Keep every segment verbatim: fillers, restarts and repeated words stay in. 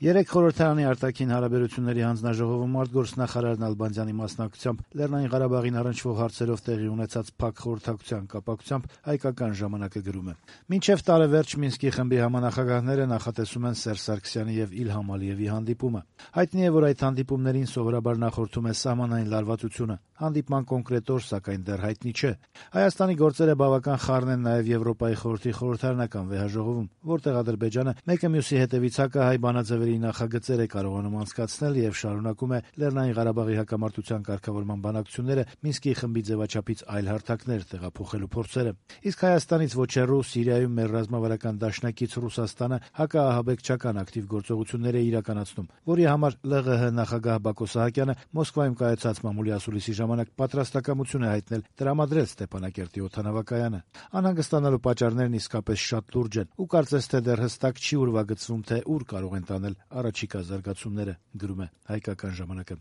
Երեկ խորհրդարանի արտաքին հարաբերությունների հանձնաժողովում արտգործնախարար Նալբանդյանի մասնակցությամբ Լեռնային Ղարաբաղին առնչվող հարցերով տեղի ունեցած փակ խորհրդակցության կապակցությամբ հայկական ժամանակը գրում է. «Մինչև տարեվերջ Մինսկի խմբի համանախագահները նախատեսում են Սերժ Սարգսյանի եւ Իլհամ Ալիևի հանդիպումը։ Հայտնի է, որ այդ հանդիպումներին սովորաբար նախորդում է սահմանային լարվածությունը։ Հանդիպման կոնկրետ օր, սակայն, դեռ հայտնի չէ։ Հայաստանի գործերը բավական խառն են նաեւ Եվրոպայի խորհրդի խորհրդարանական վեհաժողովում, որտեղ Ադրբեջանը մեկը մյուսի հետևից հակահայ բանաձևերի նախագծեր է կարողանում անցկացնել եւ շարունակում է Լեռնային Ղարաբաղի հակամարտության կարգավորման բանակցությունները Մինսկի խմբի ձևաչափից այլ հարթակներ տեղափոխելու փորձերը։ Իսկ Հայաստանից ոչ հեռու Սիրիայում մեր ռազմավարական դաշնակից Ռուսաստանը հակաահաբեկչական ակտիվ գործողություններ է իրականացնում, որի համար ԼՂՀ նախագահ Բակո Սահակյանը Մոսկվայում կայացած մամուլի ասուլիսի ժամանակ պատրաստակամություն է հայտնել տրամադրել Ստեփանակերտի օդանավակայանը։ Անհանգստանալու պատճառներն իսկապես շատ լուրջ են, ու կարծես թե դեռ հստակ չի ուրվագծվում, թե ուր կարող են տանել առաջիկա զարգացումները», գրում է հայկական ժամանակը։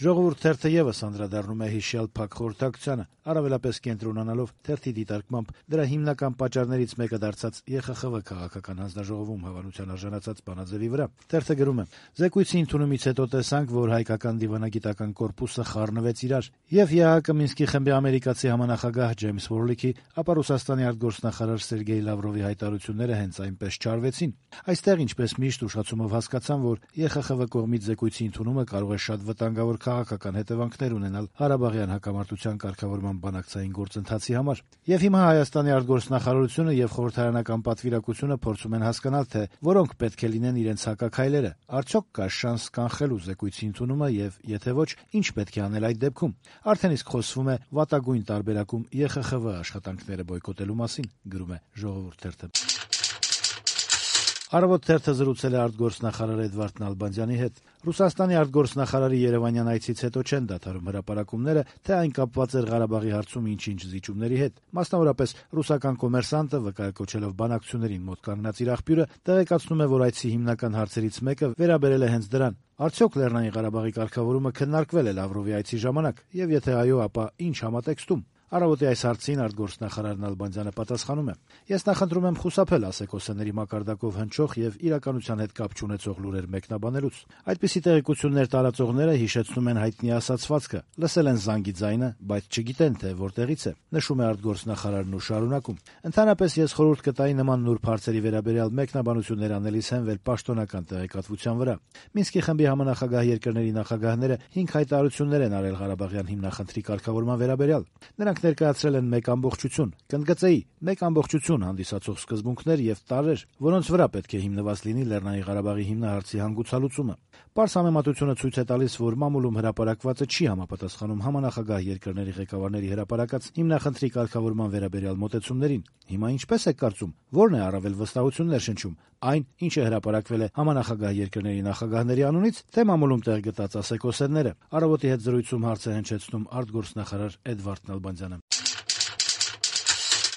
Ժողովուրդ թերթը եւս անդրադառնում է հիշյալ փակ խորհրդակցությանը, առավելապես կենտրոնանալով թերթի դիտարկմամբ դրա հիմնական պատճառներից մեկը դարձած ԵԽԽՎ քաղաքական հանձնաժողովում հավանության արժանացած բանաձևի վրա։ Թերթը գրում է. «Զեկույցի ընդունումից հետո տեսանք, որ հայկական դիվանագիտական կորպուսը խառնվեց իրար, եւ ԵԱՀԿ Մինսկի խմբի ամերիկացի համանախագահ Ջեյմս Վորլիքի, ապա Ռուսաստանի արտգործնախարար Սերգեյ Լավրովի հայտարարությունները հենց այնպես չարվեցին։ Այստեղ, ինչպես միշտ, ուշացումով հասկացան, որ ԵԽԽՎ կողմից զեկույցի ընդունումը կարող է շատ վտանգավոր քաղաքական հետևանքներ ունենալ Ղարաբաղյան հակամարտության կարգավորման բանակցային գործընթացի համար։ Եվ հիմա Հայաստանի արտգործնախարարությունը եւ խորհրդարանական պատվիրակությունը փորձում են հասկանալ, թե որոնք պետք է լինեն իրենց հակաքայլերը։ Արդյոք կա շանս կանխելու զեկույցի ընդունումը եւ եթե ոչ, ինչ պետք է անել այդ դեպքում։ Արդեն իսկ խոսվում է վատագույն տարբերակում ԵԽԽՎ աշխատանքները բոյկոտելու մասին», գրում է Ժողովուրդ թերթը։ Առավոտ թերթը զրուցել է արտգործնախարար Էդվարդ Նալբանդյանի հետ։ Ռուսաստանի արտգործնախարարի Երևանյան այցից հետո չեն դադարում հրապարակումները, թե այն կապված էր Ղարաբաղի հարցում ինչ-ինչ զիջումների հետ։ Մասնավորապես ռուսական կոմերսանտը, վկայակոչելով բանակցություններին մոտ կանգնած իր աղբյուրը, տեղեկացնում է, որ այցի հիմնական հարցերից մեկը վերաբերել է հենց դրան. արդյոք Լեռնային Ղարաբաղի կարգավորումը քննարկվել է Լավրովի այցի ժամանակ, եւ եթե այո, ապա ինչ համատեքստում։ Առավոտի այս հարցին արտգործնախարար Նալբանդյանը պատասխանում է. «Ես նախընտրում եմ խուսափել ասեկոսեների մակարդակով հնչող եւ իրականության հետ կապ չունեցող լուրեր մեկնաբանելուց։ Այդպիսի տեղեկություններ տարածողները հիշեցնում են հայտնի ասացվածքը, լսել են զանգի ձայնը, բայց չգիտեն, թե որտեղից է», նշում է արտգործնախարարն ու շարունակում. «Ընդհանրապես ես խորհուրդ կտայի նման նուրբ հարցերի վերաբերյալ մեկնաբանություններ անելիս հենվել պաշտոնական տեղեկատվության վրա։ Մինսկի խմբի համանախագահ երկրների նախագահները հինգ հայտարարություններ են արել Ղարաբաղյան հիմնախնդրի կարգավորման վերաբերյալ։ Նրանք ներկայացրել են մեկ ամբողջություն, կընդգծեի, մեկ ամբողջություն հանդիսացող սկզբունքներ եւ տարրեր, որոնց վրա պետք է հիմնված լինի Լեռնային Ղարաբաղի հիմնահարցի հանգուցալուծումը։ Պարզ համեմատությունը ցույց է տալիս, որ մամուլում հրապարակվածը չի համապատասխանում համանախագահ երկրների ղեկավարների հրապարակած հիմնախնդրի կարգավորման վերաբերյալ մոտեցումներին։ Հիմա ինչպես եք կարծում, ո՞րն է առավել վստահություններ շնչում, այն, ինչը հրապարակվել է համանախագահ երկրների նախագահների անունից, թե մամուլում տեղ գտած ասեկոսերները»։ Առավոտի հետ զրույցում հարց է հնչեցնում արտգործնախարար Էդվարդ Նալբանդյանը։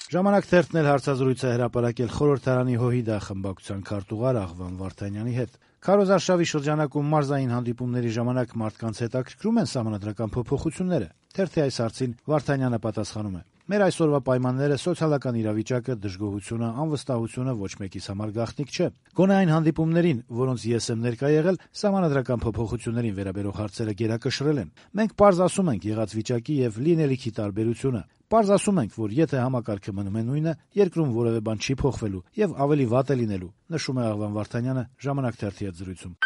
Ժամանակ թերթն էլ հարցազրույց է հրապարակել խորհրդարանի ՀՅԴ խմբակցության քարտուղար Աղվան Վարդանյանի հետ։ Քարոզ արշավի շրջանակում մարզային հանդիպումների ժամանակ մարդկանց հետաքրքրում են սահմանադրական փոփոխությունները։ Թերթի այս հարցին Վարդանյանը պատասխանում է. «Մեր այսօրվա պայմանները, սոցիալական իրավիճակը, դժգոհությունը, անվստահությունը ոչ մեկիս համար գաղտնիք չէ։ Գոնե այն հանդիպումներին, որոնց ես եմ ներկա եղել, սահմանադրական փոփոխություններին վերաբերող հարցերը գերակշռել են։ Մենք պարզ ասում ենք եղած վիճակի եւ լինելիքի տարբերությունը։ Պարզ ասում ենք, որ եթե համակարգը մնում է նույնը, երկրում որևէ բան չի փոխվելու եւ ավելի վատ է լինելու», նշում է Աղվան Վարդանյանը Ժամանակ թերթի հետ զրույցում։